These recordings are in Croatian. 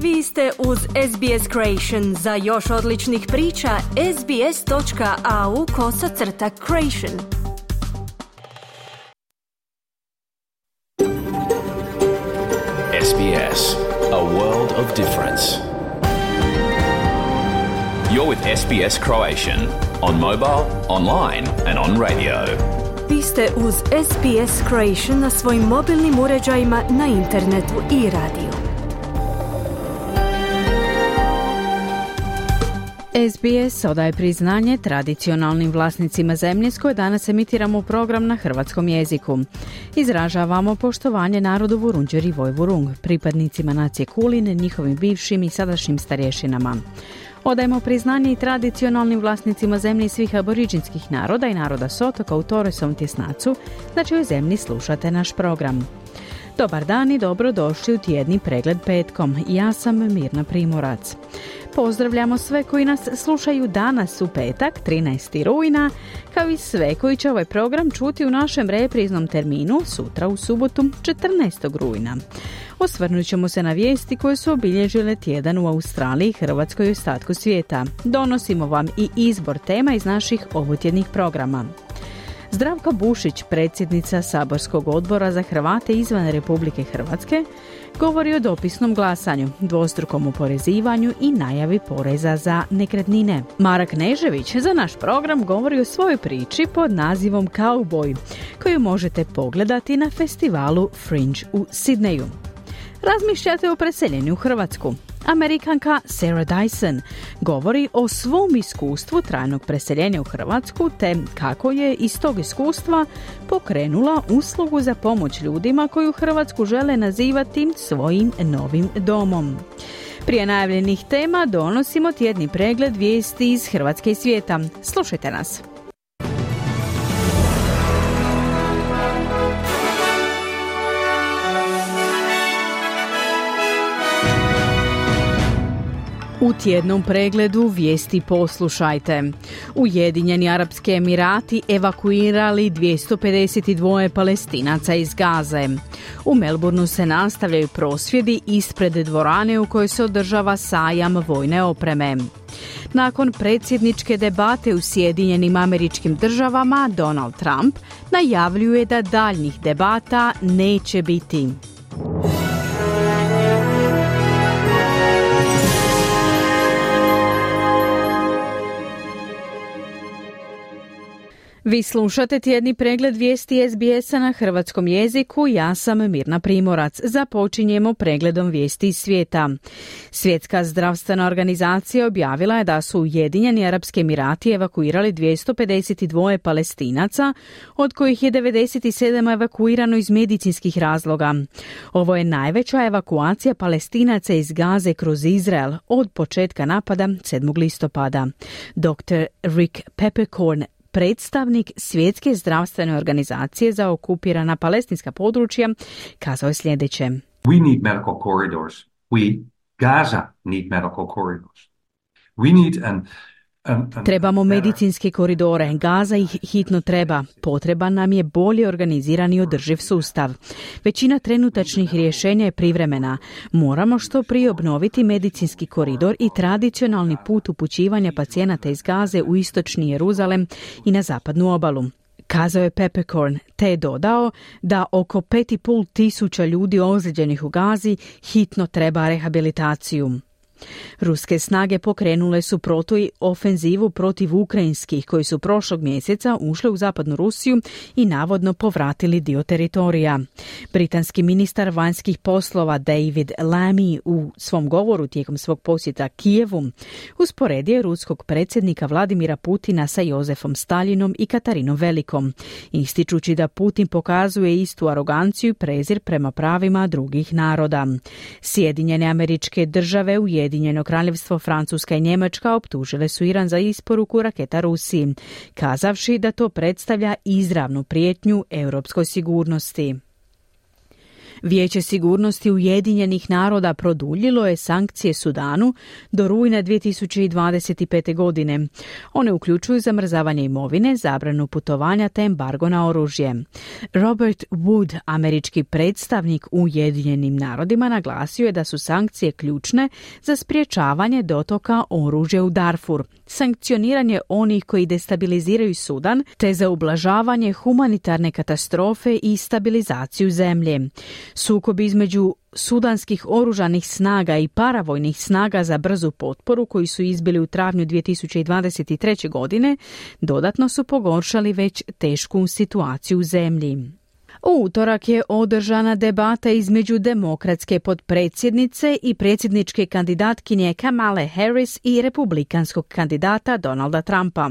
Vi ste uz SBS Creation. Za još odličnih priča, sbs.au/creation. SBS, a world of difference. You're with SBS Croatian on mobile, online and on radio. Vi ste uz SBS Creation na svojim mobilnim uređajima, na internetu i radiju. SBS odaje priznanje tradicionalnim vlasnicima zemlje s koje danas emitiramo program na hrvatskom jeziku. Izražavamo poštovanje narodu Vurundjer i Vojvurung, pripadnicima nacije Kulin, njihovim bivšim i sadašnjim starješinama. Odajemo priznanje i tradicionalnim vlasnicima zemlje svih aboriđinskih naroda i naroda s otoka u Torresovom tjesnacu, na čijoj zemlji slušate naš program. Dobar dan i dobrodošli u tjedni pregled petkom. Ja sam Mirna Primorac. Pozdravljamo sve koji nas slušaju danas u petak, 13. rujna, kao i sve koji će ovaj program čuti u našem repriznom terminu sutra u subotu, 14. rujna. Osvrnut ćemo se na vijesti koje su obilježile tjedan u Australiji, Hrvatskoj i ostatku svijeta. Donosimo vam i izbor tema iz naših ovotjednih programa. Zdravka Bušić, predsjednica Saborskog odbora za Hrvate izvan Republike Hrvatske, govori o dopisnom glasanju, dvostrukom oporezivanju i najavi poreza za nekretnine. Mara Knežević za naš program govori o svojoj priči pod nazivom Cowboy, koju možete pogledati na festivalu Fringe u Sidneju. Razmišljate o preseljenju u Hrvatsku? Amerikanka Sarah Dyson govori o svom iskustvu trajnog preseljenja u Hrvatsku te kako je iz tog iskustva pokrenula uslugu za pomoć ljudima koji u Hrvatsku žele nazivati svojim novim domom. Prije najavljenih tema donosimo tjedni pregled vijesti iz Hrvatske i svijeta. Slušajte nas. U tjednom pregledu vijesti poslušajte. Ujedinjeni Arapski Emirati evakuirali 252 Palestinaca iz Gaze. U Melbourneu se nastavljaju prosvjedi ispred dvorane u kojoj se održava sajam vojne opreme. Nakon predsjedničke debate u Sjedinjenim Američkim Državama, Donald Trump najavljuje da daljnjih debata neće biti. Vi slušate tjedni pregled vijesti SBS-a na hrvatskom jeziku. Ja sam Mirna Primorac. Započinjemo pregledom vijesti iz svijeta. Svjetska zdravstvena organizacija objavila je da su Ujedinjeni Arapski Emirati evakuirali 252 Palestinaca, od kojih je 97 evakuirano iz medicinskih razloga. Ovo je najveća evakuacija Palestinaca iz Gaze kroz Izrael od početka napada 7. listopada. Dr. Rick Peppercorn, predstavnik Svjetske zdravstvene organizacije za okupirana palestinska područja, kazao je sljedeće. We need medical corridors. Gaza need medical corridors. We need Trebamo medicinske koridore. Gaza ih hitno treba. Potreban nam je bolje organiziran i održiv sustav. Većina trenutačnih rješenja je privremena. Moramo što prije obnoviti medicinski koridor i tradicionalni put upućivanja pacijenata iz Gaze u istočni Jeruzalem i na zapadnu obalu, kazao je Peppercorn, te je dodao da oko 5.500 ljudi ozlijeđenih u Gazi hitno treba rehabilitaciju. Ruske snage pokrenule su protuofenzivu protiv ukrajinskih koji su prošlog mjeseca ušli u zapadnu Rusiju i navodno povratili dio teritorija. Britanski ministar vanjskih poslova David Lammy u svom govoru tijekom svog posjeta Kijevu usporedio je ruskog predsjednika Vladimira Putina sa Jozefom Staljinom i Katarinom Velikom, ističući da Putin pokazuje istu aroganciju i prezir prema pravima drugih naroda. Sjedinjene Američke Države, Ujedinjeno Kraljevstvo, Francuska i Njemačka optužile su Iran za isporuku raketa Rusiji, kazavši da to predstavlja izravnu prijetnju europskoj sigurnosti. Vijeće sigurnosti Ujedinjenih naroda produljilo je sankcije Sudanu do rujna 2025. godine. One uključuju zamrzavanje imovine, zabranu putovanja te embargo na oružje. Robert Wood, američki predstavnik u Ujedinjenim narodima, naglasio je da su sankcije ključne za sprječavanje dotoka oružja u Darfur, sankcioniranje onih koji destabiliziraju Sudan te za ublažavanje humanitarne katastrofe i stabilizaciju zemlje. Sukob između sudanskih oružanih snaga i paravojnih snaga za brzu potporu koji su izbili u travnju 2023. godine dodatno su pogoršali već tešku situaciju u zemlji. U utorak je održana debata između demokratske potpredsjednice i predsjedničke kandidatkinje Kamale Harris i republikanskog kandidata Donalda Trumpa.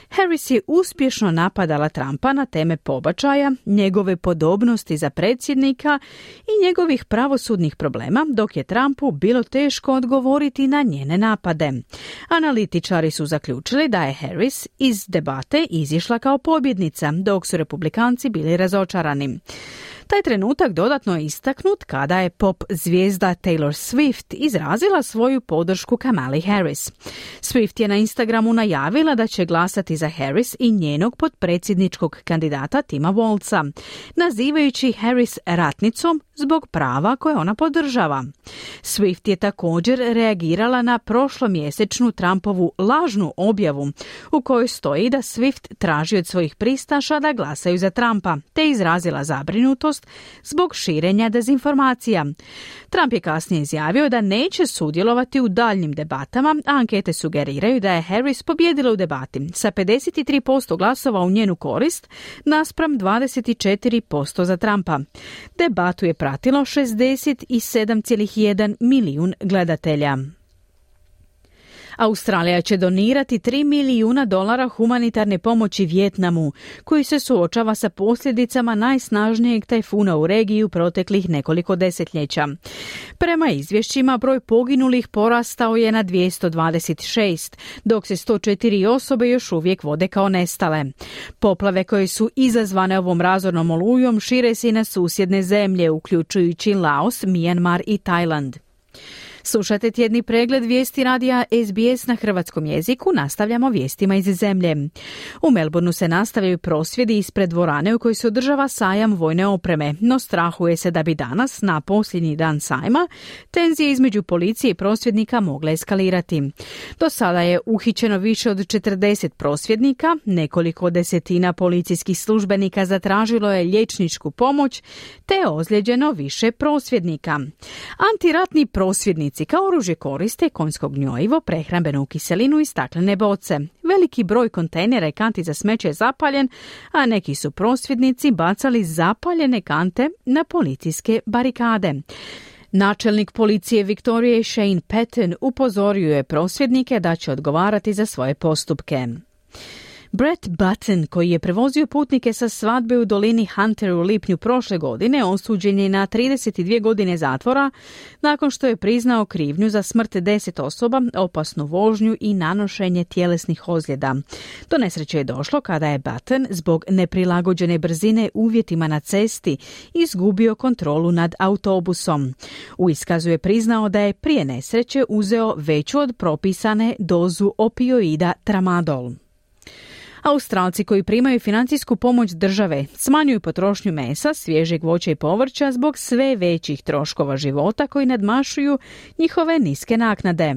Harris je uspješno napadala Trumpa na teme pobačaja, njegove podobnosti za predsjednika i njegovih pravosudnih problema, dok je Trumpu bilo teško odgovoriti na njene napade. Analitičari su zaključili da je Harris iz debate izišla kao pobjednica, dok su republikanci bili razočarani. Taj trenutak dodatno je istaknut kada je pop zvijezda Taylor Swift izrazila svoju podršku Kamali Harris. Swift je na Instagramu najavila da će glasati za Harris i njenog potpredsjedničkog kandidata Tima Walza, nazivajući Harris ratnicom zbog prava koje ona podržava. Swift je također reagirala na prošlomjesečnu Trumpovu lažnu objavu u kojoj stoji da Swift traži od svojih pristaša da glasaju za Trumpa, te izrazila zabrinutost zbog širenja dezinformacija. Trump je kasnije izjavio da neće sudjelovati u daljnjim debatama, a ankete sugeriraju da je Harris pobjedila u debati sa 53% glasova u njenu korist naspram 24% za Trumpa. Debatu je pratilo 67,1 milijun gledatelja. Australija će donirati $3 milijuna humanitarne pomoći Vijetnamu, koji se suočava sa posljedicama najsnažnijeg tajfuna u regiji u proteklih nekoliko desetljeća. Prema izvješćima, broj poginulih porastao je na 226, dok se 104 osobe još uvijek vode kao nestale. Poplave koje su izazvane ovom razornom olujom šire se i na susjedne zemlje, uključujući Laos, Mijanmar i Tajland. Slušajte tjedni pregled vijesti radija SBS na hrvatskom jeziku. Nastavljamo vijestima iz zemlje. U Melbourneu se nastavljaju prosvjedi ispred dvorane u kojoj se održava sajam vojne opreme, no strahuje se da bi danas, na posljednji dan sajma, tenzije između policije i prosvjednika mogle eskalirati. Do sada je uhićeno više od 40 prosvjednika, nekoliko desetina policijskih službenika zatražilo je liječničku pomoć, te je ozlijeđeno više prosvjednika. Antiratni prosvjednici kao oružje koriste konjsko gnjojivo, prehrambenu kiselinu i staklene boce. Veliki broj kontejnera i kanti za smeće je zapaljen, a neki su prosvjednici bacali zapaljene kante na policijske barikade. Načelnik policije Viktorije Shane Patton upozorio je prosvjednike da će odgovarati za svoje postupke. Brett Button, koji je prevozio putnike sa svadbe u dolini Hunter u lipnju prošle godine, osuđen je na 32 godine zatvora nakon što je priznao krivnju za smrt 10 osoba, opasnu vožnju i nanošenje tjelesnih ozljeda. Do nesreće je došlo kada je Button zbog neprilagođene brzine uvjetima na cesti izgubio kontrolu nad autobusom. U iskazu je priznao da je prije nesreće uzeo veću od propisane dozu opioida tramadol. Australci koji primaju financijsku pomoć države smanjuju potrošnju mesa, svježeg voća i povrća zbog sve većih troškova života koji nadmašuju njihove niske naknade.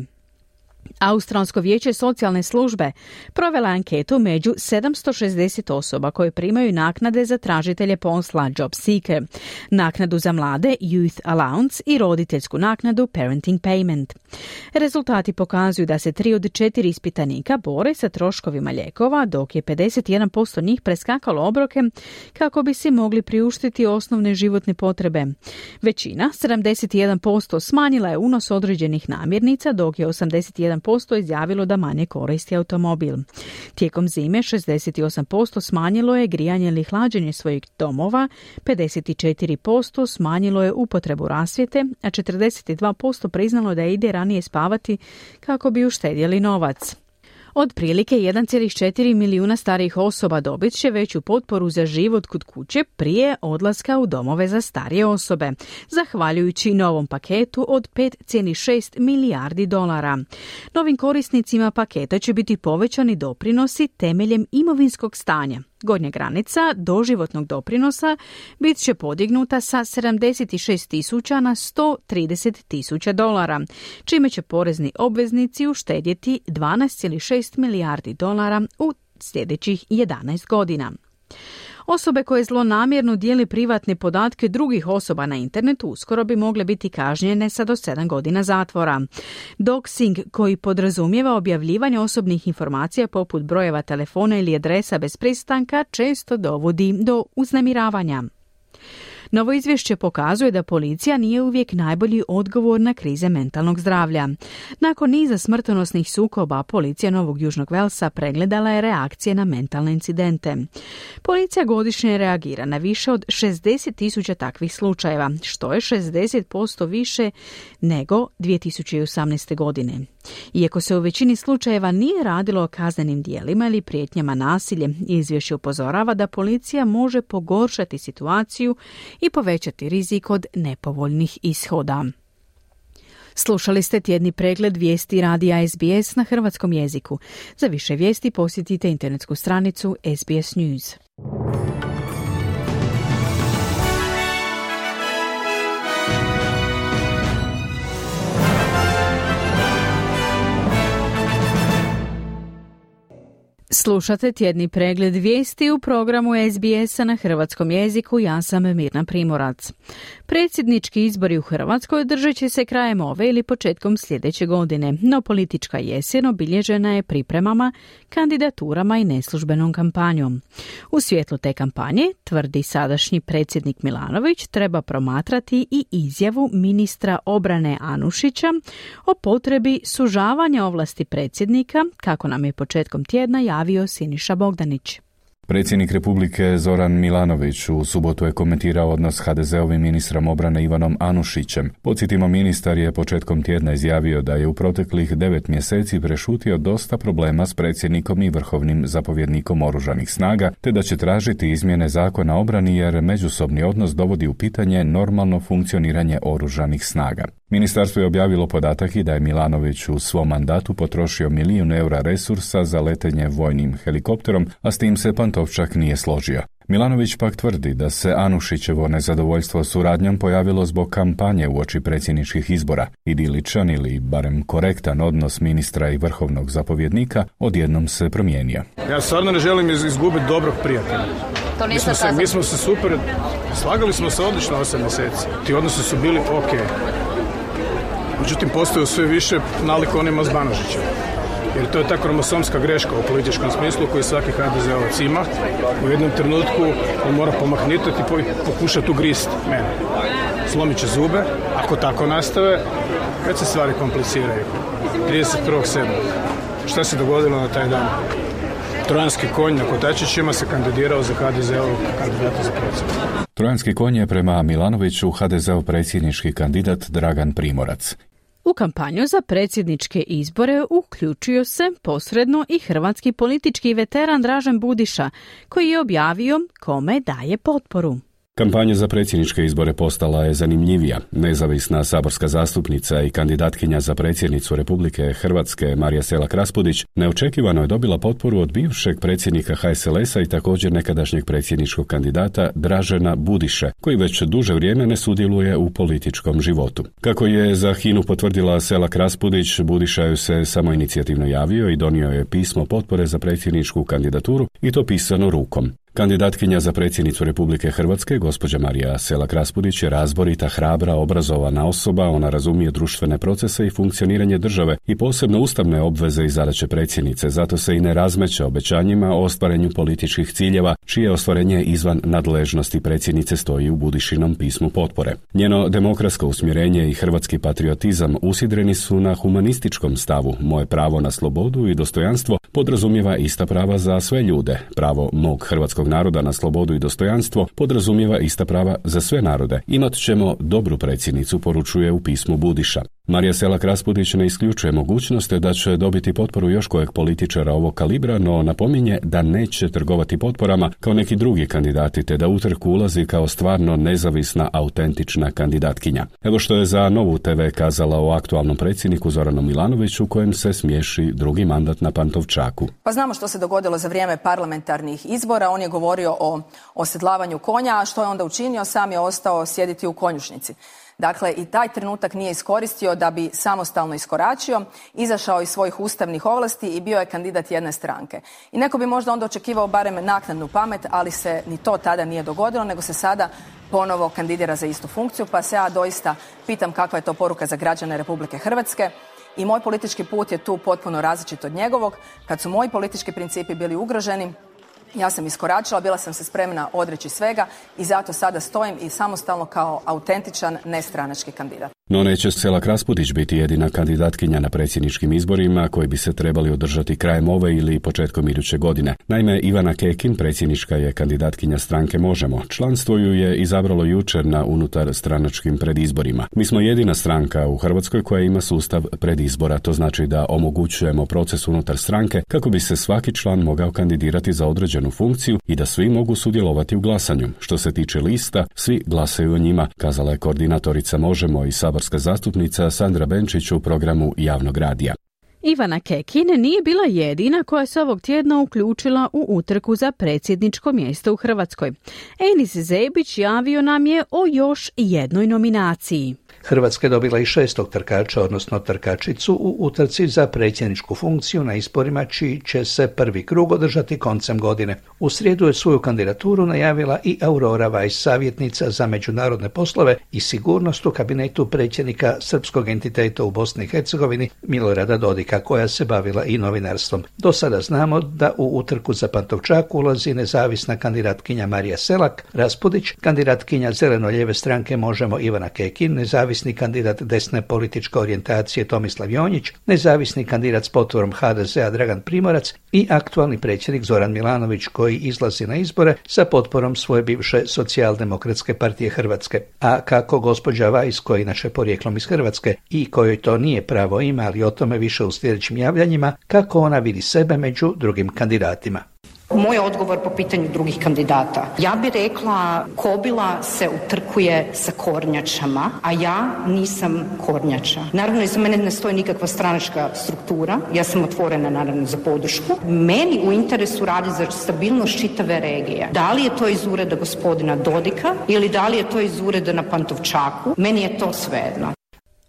Australsko vijeće socijalne službe provela anketu među 760 osoba koje primaju naknade za tražitelje posla Job Seeker, naknadu za mlade Youth Allowance i roditeljsku naknadu Parenting Payment. Rezultati pokazuju da se 3 od 4 ispitanika bore sa troškovima lijekova, dok je 51% njih preskakalo obroke kako bi si mogli priuštiti osnovne životne potrebe. Većina, 71%, smanjila je unos određenih namirnica, dok je 81% izjavilo da manje koristi automobil. Tijekom zime 68% smanjilo je grijanje ili hlađenje svojih domova, 54% smanjilo je upotrebu rasvjete, a 42% priznalo da ide ranije spavati kako bi uštedjeli novac. Otprilike 1,4 milijuna starijih osoba dobit će veću potporu za život kod kuće prije odlaska u domove za starije osobe, zahvaljujući novom paketu od 5,6 milijardi dolara. Novim korisnicima paketa će biti povećani doprinosi temeljem imovinskog stanja. Gornja granica doživotnog doprinosa bit će podignuta sa 76.000 na 130.000 dolara, čime će porezni obveznici uštedjeti 12,6 milijardi dolara u sljedećih 11 godina. Osobe koje zlonamjerno dijele privatne podatke drugih osoba na internetu uskoro bi mogle biti kažnjene sa do 7 godina zatvora. Doxing, koji podrazumijeva objavljivanje osobnih informacija poput brojeva telefona ili adresa bez pristanka, često dovodi do uznemiravanja. Novo izvješće pokazuje da policija nije uvijek najbolji odgovor na krize mentalnog zdravlja. Nakon niza smrtonosnih sukoba, policija Novog Južnog Velsa pregledala je reakcije na mentalne incidente. Policija godišnje reagira na više od 60.000 takvih slučajeva, što je 60% više nego 2018. godine. Iako se u većini slučajeva nije radilo o kaznenim djelima ili prijetnjama nasiljem, izvješće upozorava da policija može pogoršati situaciju i povećati rizik od nepovoljnih ishoda. Slušali ste tjedni pregled vijesti radija SBS na hrvatskom jeziku. Za više vijesti posjetite internetsku stranicu SBS News. Slušate tjedni pregled vijesti u programu SBS-a na hrvatskom jeziku. Ja sam Mirna Primorac. Predsjednički izbori u Hrvatskoj održat će se krajem ove ili početkom sljedeće godine, no politička jesen obilježena je pripremama, kandidaturama i neslužbenom kampanjom. U svjetlu te kampanje, tvrdi sadašnji predsjednik Milanović, treba promatrati i izjavu ministra obrane Anušića o potrebi sužavanja ovlasti predsjednika, kako nam je početkom tjedna javio Siniša Bogdanić. Predsjednik Republike Zoran Milanović u subotu je komentirao odnos HDZ-ovim ministrom obrane Ivanom Anušićem. Podsjetimo, ministar je početkom tjedna izjavio da je u proteklih 9 mjeseci prešutio dosta problema s predsjednikom i vrhovnim zapovjednikom oružanih snaga, te da će tražiti izmjene zakona o obrani jer međusobni odnos dovodi u pitanje normalno funkcioniranje oružanih snaga. Ministarstvo je objavilo podatak i da je Milanović u svom mandatu potrošio €1 milijun resursa za letenje vojnim helikopterom, a s tim se Pantovčak nije složio. Milanović pak tvrdi da se Anušićevo nezadovoljstvo suradnjom pojavilo zbog kampanje uoči predsjedničkih izbora. Idiličan ili barem korektan odnos ministra i vrhovnog zapovjednika odjednom se promijenio. Ja stvarno ne želim izgubiti dobrog prijatelja. Mi smo se super, slagali smo se odlično 8 mjeseci. Ti odnosi su bili ok. Međutim, postaju sve više nalik onima s Banožićem. Jer to je ta kromosomska greška u političkom smislu koju svaki HDZ-ovac ima. U jednom trenutku on mora pomahnitati i pokušati ugrist mene. Slomit će zube, ako tako nastave, kad se stvari kompliciraju. 31.7. Šta se dogodilo na taj dan? Trojanski konj na kotačićima se kandidirao za HDZ-ovog kandidata za predsjednika. Trojanski konj je prema Milanoviću HDZ-ov predsjednički kandidat Dragan Primorac. U kampanju za predsjedničke izbore uključio se posredno i hrvatski politički veteran Dražen Budiša, koji je objavio kome daje potporu. Kampanja za predsjedničke izbore postala je zanimljivija. Nezavisna saborska zastupnica i kandidatkinja za predsjednicu Republike Hrvatske Marija Selak-Raspudić neočekivano je dobila potporu od bivšeg predsjednika HSLS-a i također nekadašnjeg predsjedničkog kandidata Dražena Budiše, koji već duže vrijeme ne sudjeluje u političkom životu. Kako je za HINA-u potvrdila Selak-Raspudić, Budiša ju se samoinicijativno javio i donio je pismo potpore za predsjedničku kandidaturu i to pisano rukom. Kandidatkinja za predsjednicu Republike Hrvatske, gospođa Marija Selak-Raspudić, je razborita, hrabra, obrazovana osoba. Ona razumije društvene procese i funkcioniranje države i posebno ustavne obveze i zadaće predsjednice, zato se i ne razmeće obećanjima o ostvarenju političkih ciljeva, čije ostvarenje izvan nadležnosti predsjednice stoji u Budišinom pismu potpore. Njeno demokratsko usmjerenje i hrvatski patriotizam usidreni su na humanističkom stavu. Moje pravo na slobodu i dostojanstvo podrazumijeva ista prava za sve ljude. Pravo mog hrvatskog naroda na slobodu i dostojanstvo podrazumijeva ista prava za sve narode. Imat ćemo dobru predsjednicu, poručuje u pismu Budiša. Marija Selak-Raspudić ne isključuje mogućnost da će dobiti potporu još kojeg političara ovog kalibra, no napominje da neće trgovati potporama kao neki drugi kandidati, te da u trku ulazi kao stvarno nezavisna, autentična kandidatkinja. Evo što je za Novu TV kazala o aktualnom predsjedniku Zoranu Milanoviću, kojem se smiješi drugi mandat na Pantovčaku. Pa znamo što se dogodilo za vrijeme parlamentarnih izbora. On je govorio o osedlavanju konja, a što je onda učinio? Sam je ostao sjediti u konjušnici. Dakle, i taj trenutak nije iskoristio da bi samostalno iskoračio, izašao iz svojih ustavnih ovlasti i bio je kandidat jedne stranke. I neko bi možda onda očekivao barem naknadnu pamet, ali se ni to tada nije dogodilo, nego se sada ponovo kandidira za istu funkciju, pa se ja doista pitam kakva je to poruka za građane Republike Hrvatske. I moj politički put je tu potpuno različit od njegovog. Kad su moji politički principi bili ugroženi, ja sam iskoračila, bila sam se spremna odreći svega i zato sada stojim i samostalno kao autentičan nestranački kandidat. No neće Selak-Raspudić biti jedina kandidatkinja na predsjedničkim izborima koji bi se trebali održati krajem ove ili početkom iduće godine. Naime, Ivana Kekin, predsjednička je kandidatkinja stranke Možemo. Članstvo ju je izabralo jučer na unutar stranačkim predizborima. Mi smo jedina stranka u Hrvatskoj koja ima sustav predizbora. To znači da omogućujemo proces unutar stranke kako bi se svaki član mogao kandidirati za određenu funkciju i da svi mogu sudjelovati u glasanju. Što se tiče lista, svi glasaju o njima, kazala je koordinatorica Možemo i saborska zastupnica Sandra Benčić u programu javnog radija. Ivana Kekin nije bila jedina koja se ovog tjedna uključila u utrku za predsjedničko mjesto u Hrvatskoj. Enis Zebić javio nam je o još jednoj nominaciji. Hrvatska je dobila i 6. trkača, odnosno trkačicu, u utrci za predsjedničku funkciju na izborima čiji će se prvi krug održati koncem godine. U srijedu je svoju kandidaturu najavila i Aurora Weiss, savjetnica za međunarodne poslove i sigurnost u kabinetu predsjednika srpskog entiteta u Bosni i Hercegovini Milorada Dodika, koja se bavila i novinarstvom. Do sada znamo da u utrku za Pantovčak ulazi nezavisna kandidatkinja Marija Selak-Raspudić, kandidatkinja zeleno-lijeve stranke Možemo Ivana Kekin, nezavisni kandidat desne političke orijentacije Tomislav Jonjić, nezavisni kandidat s potvorom HDZ-a Dragan Primorac i aktualni predsjednik Zoran Milanović, koji izlazi na izbore sa potporom svoje bivše Socijaldemokratske partije Hrvatske. A kako gospođa Weiss, koja je inače porijeklom iz Hrvatske i kojoj to nije pravo ime, ali o tome više u sljedećim javljanjima, kako ona vidi sebe među drugim kandidatima. Moj odgovor po pitanju drugih kandidata. Ja bih rekla, kobila se utrkuje sa kornjačama, a ja nisam kornjača. Naravno, iza mene ne stoji nikakva stranačka struktura. Ja sam otvorena, naravno, za podršku. Meni u interesu radi za stabilnost čitave regije. Da li je to iz ureda gospodina Dodika ili da li je to iz ureda na Pantovčaku, meni je to svejedno.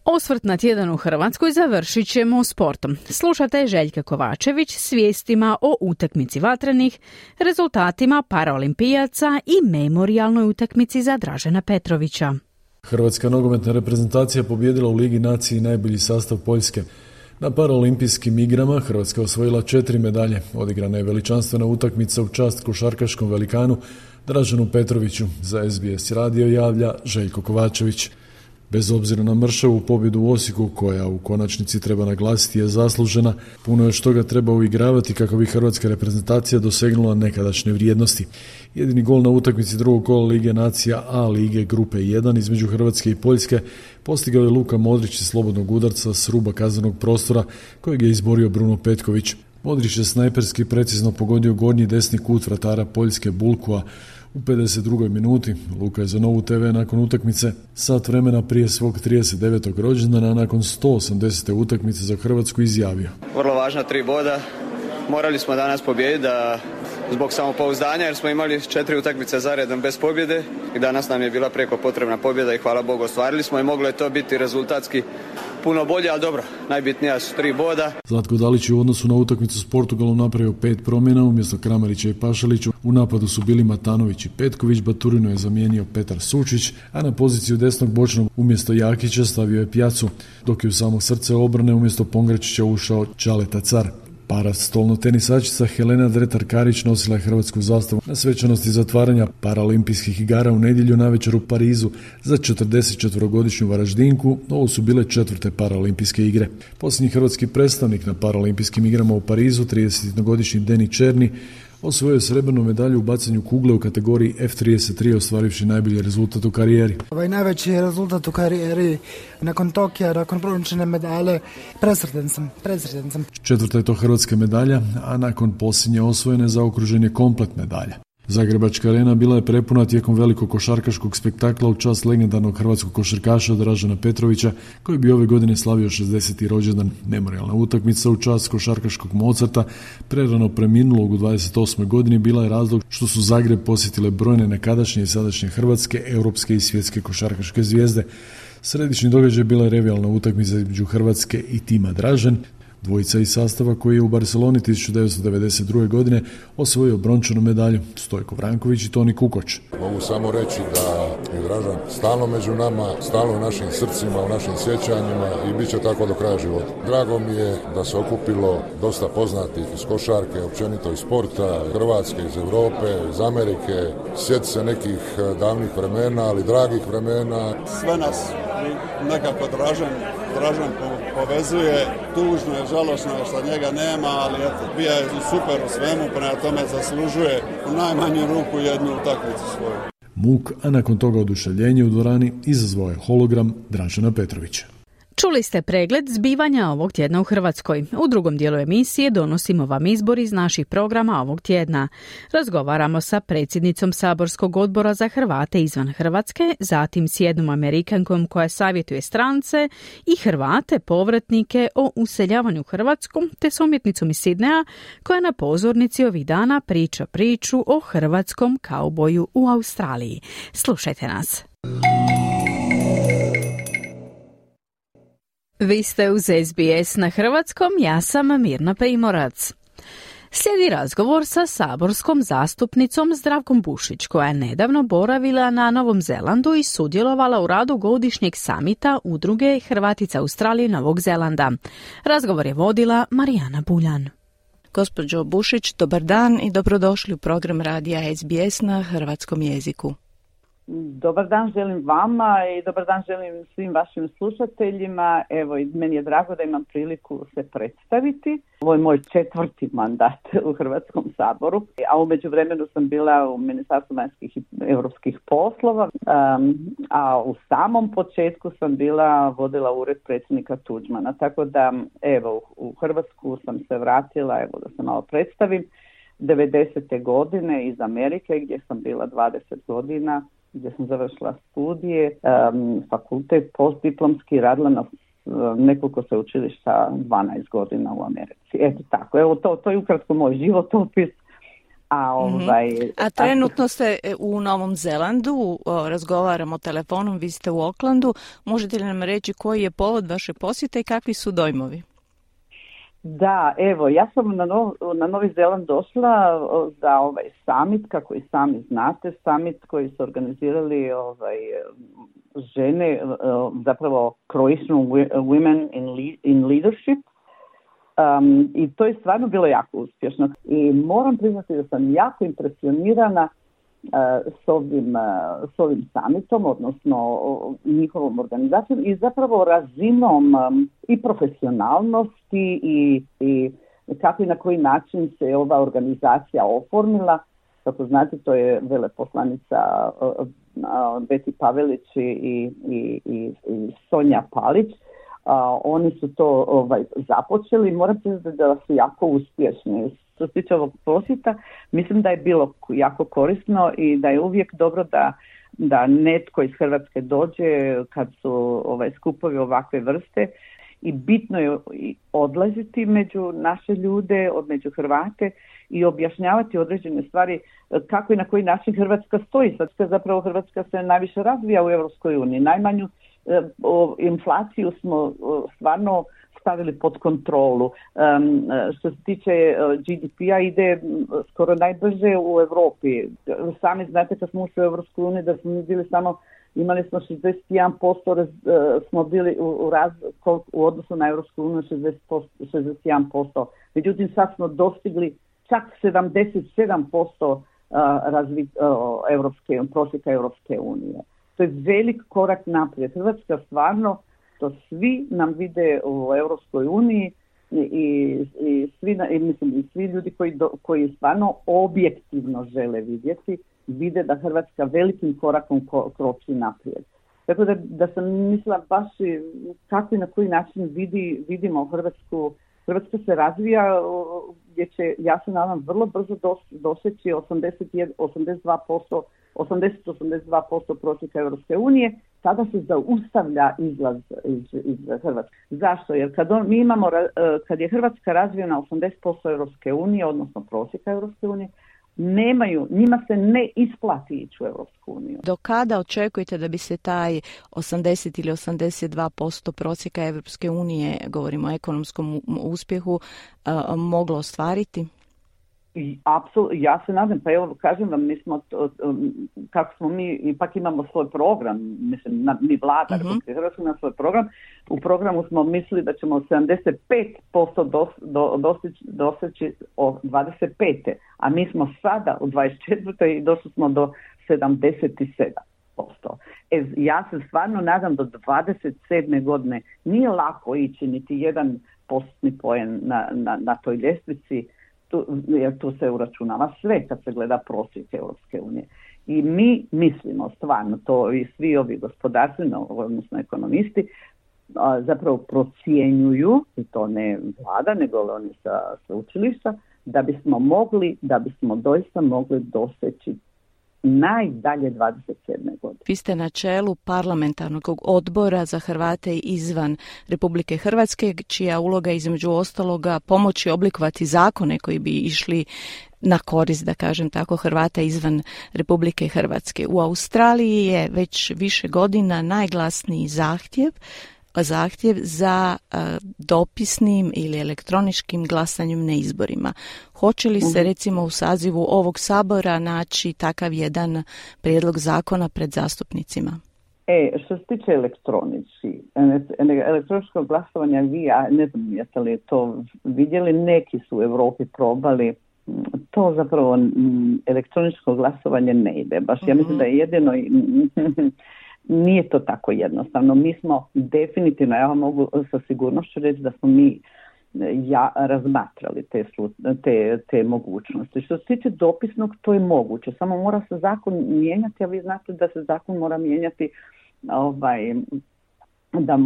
Osvrt na tjedan u Hrvatskoj završit ćemo sportom. Slušate Željka Kovačević s vijestima o utakmici vatrenih, rezultatima paraolimpijaca i memorijalnoj utakmici za Dražena Petrovića. Hrvatska nogometna reprezentacija pobijedila u Ligi nacije najbolji sastav Poljske. Na paraolimpijskim igrama Hrvatska osvojila 4 medalje. Odigrana je veličanstvena utakmica u čast košarkaškom velikanu Draženu Petroviću. Za SBS radio javlja Željko Kovačević. Bez obzira na mršavu pobjedu u Osijeku, koja u konačnici treba naglasiti je zaslužena, puno još toga treba uigravati kako bi hrvatska reprezentacija dosegnula nekadašnje vrijednosti. Jedini gol na utakmici drugog kola Lige nacija A lige grupe 1 između Hrvatske i Poljske postigao je Luka Modrić iz slobodnog udarca s ruba kaznenog prostora kojeg je izborio Bruno Petković. Modrić je snajperski precizno pogodio gornji desni kut vratara Poljske Bulkua u 52. minuti. Luka je za Novu TV nakon utakmice sat vremena prije svog 39. rođendana nakon 180. utakmice za Hrvatsku izjavio. Vrlo važna 3 boda. Morali smo danas pobijediti zbog samopouzdanja jer smo imali 4 utakmice zaredom bez pobjede i danas nam je bila preko potrebna pobjeda i hvala Bogu ostvarili smo i moglo je to biti rezultatski puno bolje, ali dobro, najbitnija su 3 boda. Zlatko Dalić je u odnosu na utakmicu s Portugalom napravio 5 promjena, umjesto Kramarića i Pašaliću u napadu su bili Matanović i Petković, Baturino je zamijenio Petar Sučić, a na poziciju desnog bočnog umjesto Jakića stavio je Pjacu, dok je u samo srce obrane umjesto Pongračića ušao Čaleta Car. Parastolno tenisačica Helena Dretar-Karić nosila je hrvatsku zastavu na svečanosti zatvaranja paraolimpijskih igara u nedjelju navečer u Parizu za 44-godišnju Varaždinku. Ovo su bile 4. paraolimpijske igre. Posljednji hrvatski predstavnik na paraolimpijskim igrama u Parizu, 31-godišnji Deni Černi, osvojio srebrnu medalju u bacanju kugle u kategoriji F33, ostvarivši najbolji rezultat u karijeri. Ovaj najveći rezultat u karijeri nakon Tokija, nakon brončane medalje, presretan sam. Četvrta je to hrvatska medalja, a nakon posljednje osvojene zaokružen je komplet medalja. Zagrebačka arena bila je prepuna tijekom velikog košarkaškog spektakla u čast legendarnog hrvatskog košarkaša Dražena Petrovića, koji bi ove godine slavio 60. rođendan. Memorijalna utakmica u čast košarkaškog Mozarta, prerano preminulog u 28. godini, bila je razlog što su Zagreb posjetile brojne nekadašnje i sadašnje hrvatske, europske i svjetske košarkaške zvijezde. Središnji događaj bila je revijalna utakmica između Hrvatske i tima Dražen, dvojica iz sastava koji je u Barceloni 1992. godine osvojio brončanu medalju, Stojko Vranković i Toni Kukoč. Mogu samo reći da je Dražan stalno među nama, stalno u našim srcima, u našim sjećanjima i bit će tako do kraja života. Drago mi je da se okupilo dosta poznatih iz košarke, općenito iz sporta, Hrvatske, iz Europe, iz Amerike. Sjeti se nekih davnih vremena, ali dragih vremena. Sve nas nekako Dražan povezuje, tužno je, žalosno je što njega nema, ali eto, bija je super u svemu, prema tome zaslužuje u najmanju ruku jednu utakmicu svoju. Muk, a nakon toga oduševljenje u dvorani izazvao je hologram Dražena Petrovića. Čuli ste pregled zbivanja ovog tjedna u Hrvatskoj. U drugom dijelu emisije donosimo vam izbor iz naših programa ovog tjedna. Razgovaramo sa predsjednicom Saborskog odbora za Hrvate izvan Hrvatske, zatim s jednom Amerikankom koja savjetuje strance i Hrvate povratnike o useljavanju u Hrvatsku, te s umjetnicom iz Sidneja koja na pozornici ovih dana priča priču o hrvatskom kauboju u Australiji. Slušajte nas. Vi ste uz SBS na hrvatskom, ja sam Mirna Primorac. Slijedi razgovor sa saborskom zastupnicom Zdravkom Bušić, koja je nedavno boravila na Novom Zelandu i sudjelovala u radu godišnjeg samita udruge Hrvatica Australije i Novog Zelanda. Razgovor je vodila Marijana Buljan. Gospođo Bušić, dobar dan i dobrodošli u program radija SBS na hrvatskom jeziku. Dobar dan želim vama i dobar dan želim svim vašim slušateljima. Evo, meni je drago da imam priliku se predstaviti. Ovo je moj 4. mandat u Hrvatskom saboru, a u međuvremenu sam bila u Ministarstvu vanjskih i europskih poslova, a u samom početku sam vodila ured predsjednika Tuđmana. Tako da, evo, u Hrvatsku sam se vratila, evo da se malo predstavim, 90. godine iz Amerike gdje sam bila 20 godina, gdje sam završila studije, fakultet postdiplomski, radila na nekoliko sveučilišta 12 godina u Americi. Eto tako, evo to je ukratko moj životopis. A trenutno ste u Novom Zelandu, razgovaramo telefonom, vi ste u Aucklandu. Možete li nam reći koji je povod vaše posjete i kakvi su dojmovi? Da, evo, ja sam na Novi Zeland došla za ovaj summit, kako i sami znate, summit koji su organizirali žene, zapravo Croatian Women in Leadership, i to je stvarno bilo jako uspješno. I moram priznati da sam jako impresionirana s ovim summitom, odnosno njihovom organizacijom i zapravo razinom i profesionalnosti i kako i na koji način se ova organizacija oformila. Kako znate, to je veleposlanica Beti Pavelić i Sonja Palić. Oni su to započeli. Moram priznati da su jako uspješni. Što se tiče ovog posjeta, mislim da je bilo jako korisno i da je uvijek dobro da netko iz Hrvatske dođe kad su skupovi ovakve vrste i bitno je odlaziti među naše ljude, među Hrvate i objašnjavati određene stvari kako i na koji način Hrvatska stoji. Zapravo Hrvatska se najviše razvija u Europskoj uniji. Najmanju inflaciju smo stvarno stavili pod kontrolu. Što se tiče GDP-a ide skoro najbrže u Europi. Sami znate kad smo ušli u Europsku uniju da smo bili imali smo 61%, smo bili u odnosu na Europsku uniju 61%. Međutim, sad smo dostigli čak 77% prosjeka Europske unije. To je velik korak naprijed. Hrvatska stvarno, to svi nam vide u Europskoj uniji, i svi ljudi koji stvarno objektivno žele vidjeti, vide da Hrvatska velikim korakom kroči naprijed. Tako da sam mislila baš kako i na koji način vidimo Hrvatsku. Hrvatska se razvija gdje će, ja se nadam, vrlo brzo doseći 80-82% prosjeka Europske unije. Sada se zaustavlja izlaz iz Hrvatske. Zašto? Jer kad je Hrvatska razvijena 80% Europske unije, odnosno prosjeka Europske unije, njima se ne isplati ići u Europsku uniju. Do kada očekujete da bi se taj 80 ili 82% prosjeka Europske unije, govorimo o ekonomskom uspjehu, moglo ostvariti? Apsolutno, ja se nadam, pa evo kažem vam, kako smo mi, ipak imamo svoj program, mislim, mi vlada Republike Hrvatske na svoj program. U programu smo mislili da ćemo 75% doseći o 25. A mi smo sada u 24. i došli smo do 77%. Ja se stvarno nadam do 27. godine nije lako ići niti 1% poen na toj ljestvici, jer tu se uračunava sve kad se gleda prosjek Europske unije. I mi mislimo stvarno, to i svi ovi gospodarstveni, odnosno ekonomisti, zapravo procjenjuju, i to ne vlada, nego oni sa sveučilišta, da bismo doista mogli doseći najdalje 27. godine. Vi ste na čelu parlamentarnog odbora za Hrvate izvan Republike Hrvatske, čija uloga između ostaloga pomoći oblikovati zakone koji bi išli na korist, da kažem tako, Hrvata izvan Republike Hrvatske. U Australiji je već više godina najglasniji zahtjev za dopisnim ili elektroničkim glasanjem na izborima. Hoće li se recimo u sazivu ovog sabora naći takav jedan prijedlog zakona pred zastupnicima? Što se tiče elektroničkog glasovanja, ne znam jeste li to vidjeli, neki su u Europi probali. To zapravo elektroničko glasovanje ne ide. Baš ja mislim da je jedino nije to tako jednostavno. Mi smo definitivno, ja vam mogu sa sigurnošću reći da smo mi razmatrali te mogućnosti. Što se tiče dopisnog, to je moguće. Samo mora se zakon mijenjati, a vi znate da se zakon mora mijenjati, da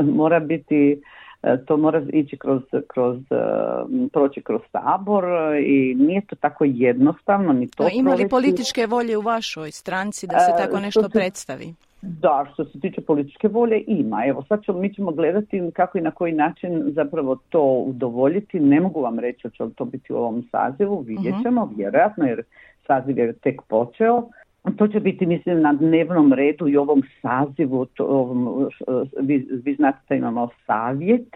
mora biti, to mora ići proći kroz sabor i nije to tako jednostavno ni to. Ima li političke volje u vašoj stranci da se tako nešto predstavi? Da, što se tiče političke volje ima. Evo mi ćemo gledati kako i na koji način zapravo to udovoljiti. Ne mogu vam reći hoće li to biti u ovom sazivu, vidjet ćemo, vjerojatno, jer saziv je tek počeo. To će biti, mislim, na dnevnom redu i ovom sazivu. Vi znate da imamo savjet,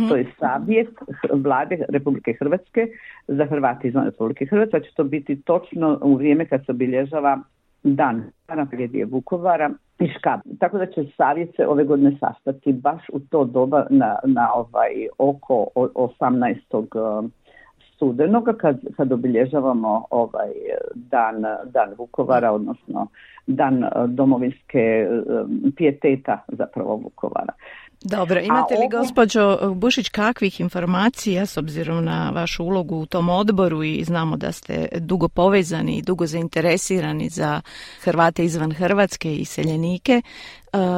to je savjet vlade Republike Hrvatske za Hrvate izvan Republike Hrvatske. Će to biti točno u vrijeme kad se obilježava dan tragedije Vukovara i Škabrnje. Tako da će savjet se ove godine sastati baš u to doba na oko 18. studenoga kad obilježavamo dan Vukovara, odnosno dan domovinske pijeteta zapravo Vukovara. Dobro, imate li gospođo Bušić kakvih informacija s obzirom na vašu ulogu u tom odboru i znamo da ste dugo povezani i dugo zainteresirani za Hrvate izvan Hrvatske i iseljenike.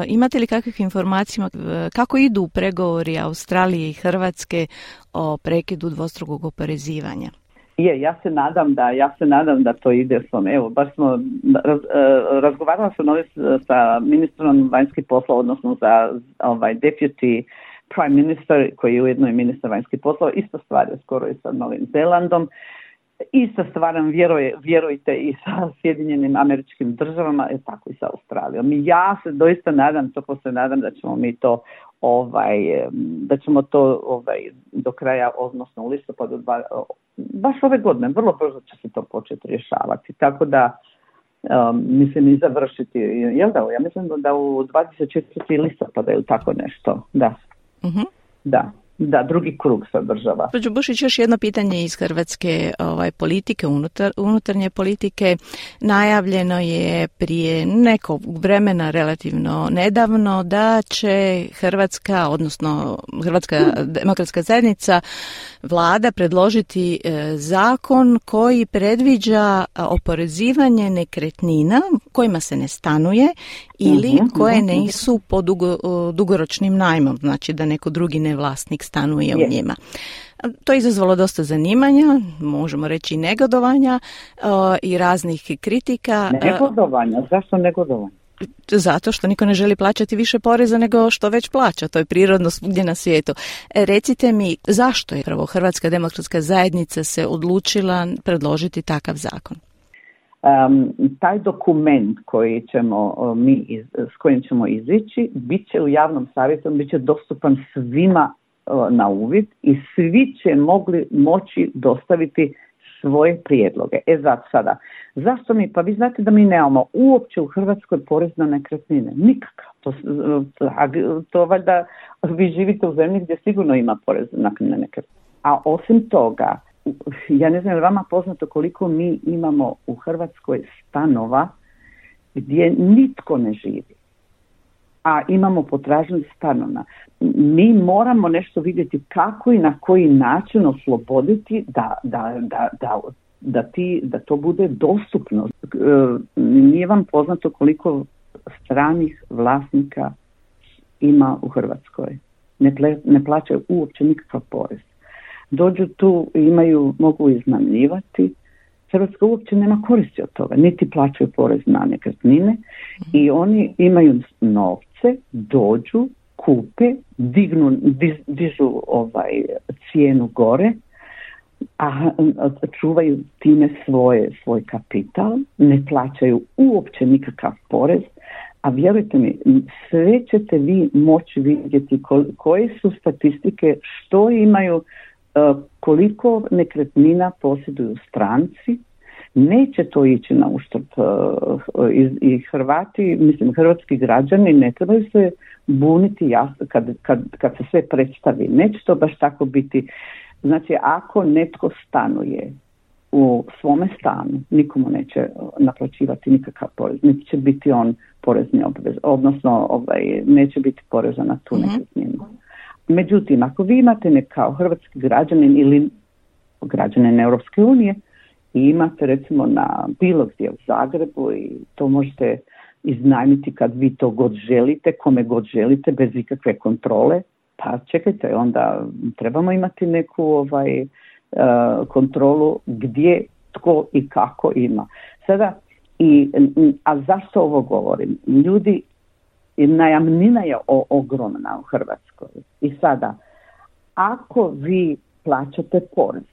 Imate li kakvih informacija kako idu pregovori Australije i Hrvatske o prekidu dvostrukog oporezivanja? Ja se nadam da to ide svom. Evo, baš smo razgovarala sam sa ministrom vanjskih poslova, odnosno za deputy prime minister, koji je ujedno i ministar vanjskih poslova. Ista stvar je skoro i sa Novim Zelandom. Ista stvar nam vjerujte i sa Sjedinjenim Američkim Državama, tako i sa Australijom. Ja se doista nadam, da ćemo mi to do kraja, odnosno u listopadu baš ove godine, vrlo brzo će se to početi rješavati. Tako da mislim i završiti, jel da? Ja mislim da u 24. listopada ili tako nešto, da. Da. da drugi krug se održava. Gospođo Bušić, još jedno pitanje iz hrvatske politike, unutarnje politike. Najavljeno je prije nekog vremena, relativno nedavno, da će Hrvatska, odnosno Hrvatska demokratska zajednica, vlada predložiti zakon koji predviđa oporezivanje nekretnina kojima se ne stanuje ili koje nisu pod dugoročnim najmom, znači da neko drugi nevlasnik stanuje u njima. To je izazvalo dosta zanimanja, možemo reći i negodovanja i raznih kritika. Negodovanja? Zašto negodovanja? Zato što niko ne želi plaćati više poreza nego što već plaća. To je prirodno svugdje na svijetu. Recite mi, zašto je prvo Hrvatska demokratska zajednica se odlučila predložiti takav zakon? Taj dokument koji ćemo s kojim ćemo izići bit će u javnom savjetu, bit će dostupan svima na uvid i svi će moći dostaviti svoje prijedloge. Sada, zašto mi? Pa vi znate da mi nemamo uopće u Hrvatskoj porez na nekretnine. Nikakav. To valjda vi živite u zemlji gdje sigurno ima porez na nekretnine. A osim toga, ja ne znam je li vama poznato koliko mi imamo u Hrvatskoj stanova gdje nitko ne živi, a imamo potražnju stanova. Mi moramo nešto vidjeti kako i na koji način osloboditi da to bude dostupno. Nije vam poznato koliko stranih vlasnika ima u Hrvatskoj. Ne plaćaju uopće nikakav porez. Dođu tu i mogu iznajmljivati. Hrvatska uopće nema koristi od toga, niti plaćaju porez na nekretnine i oni imaju novce, dođu, kupe, dižu cijenu gore, a čuvaju time svoj kapital, ne plaćaju uopće nikakav porez, a vjerujte mi, sve ćete vi moći vidjeti koje su statistike, što imaju, koliko nekretnina posjeduju stranci. Neće to ići na uštrb i hrvatski građani ne trebaju se buniti jasno kad se sve predstavi. Neće to baš tako biti. Znači, ako netko stanuje u svome stanu, nikomu neće naplaćivati nikakav porez, niti će biti on porezni obvez, odnosno neće biti poreza na tu nekretninu. Međutim, ako vi imate kao hrvatski građanin ili građanin Europske unije i imate recimo na bilo gdje u Zagrebu i to možete iznajmiti kad vi to god želite, kome god želite, bez ikakve kontrole, pa čekajte, onda trebamo imati neku kontrolu gdje, tko i kako ima. Sada, a zašto ovo govorim? Najamnina je ogromna u Hrvatskoj. I sada, ako vi plaćate porez,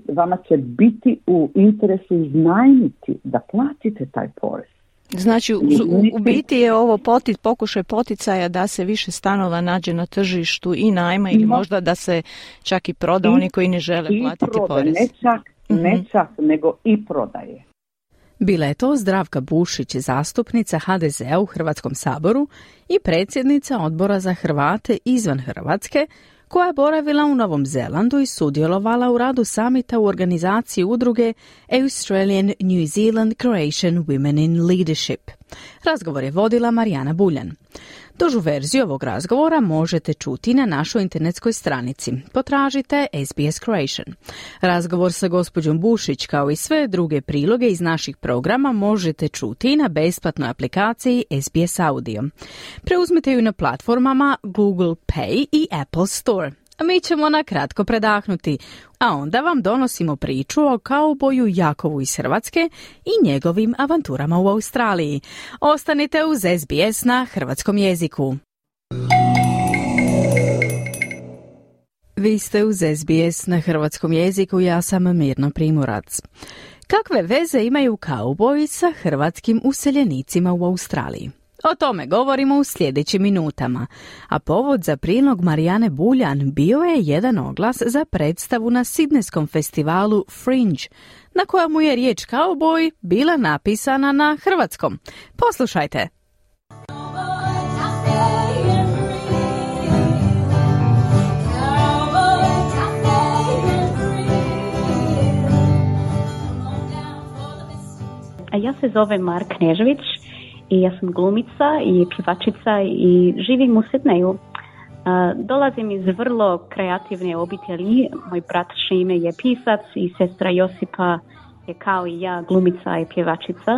vama će biti u interesu iznajmiti da platite taj porez. Znači, u biti je ovo pokušaj poticaja da se više stanova nađe na tržištu i najma ili možda da se čak i proda oni koji ne žele platiti porez. Ne čak, nego i prodaje. Bila je to Zdravka Bušić, zastupnica HDZ-a u Hrvatskom saboru i predsjednica Odbora za Hrvate izvan Hrvatske, koja je boravila u Novom Zelandu i sudjelovala u radu samita u organizaciji udruge Australian New Zealand Croatian Women in Leadership. Razgovor je vodila Marijana Buljan. Dužu verziju ovog razgovora možete čuti na našoj internetskoj stranici. Potražite SBS Croatian. Razgovor sa gospođom Bušić kao i sve druge priloge iz naših programa možete čuti na besplatnoj aplikaciji SBS Audio. Preuzmite ju na platformama Google Play i Apple Store. A mi ćemo na kratko predahnuti, a onda vam donosimo priču o kauboju Jakovu iz Hrvatske i njegovim avanturama u Australiji. Ostanite uz SBS na hrvatskom jeziku. Vi ste uz SBS na hrvatskom jeziku, ja sam Mirna Primorac. Kakve veze imaju kauboji sa hrvatskim useljenicima u Australiji? O tome govorimo u sljedećim minutama, a povod za prilog Marijane Buljan bio je jedan oglas za predstavu na Sidnejskom festivalu Fringe, na kojemu je riječ kauboj bila napisana na hrvatskom. Poslušajte. Ja se zovem Mara Knežević i ja sam glumica i pjevačica i živim u Sidneju. Dolazim iz vrlo kreativne obitelji. Moj brat Šime je pisac i sestra Josipa je kao i ja glumica i pjevačica.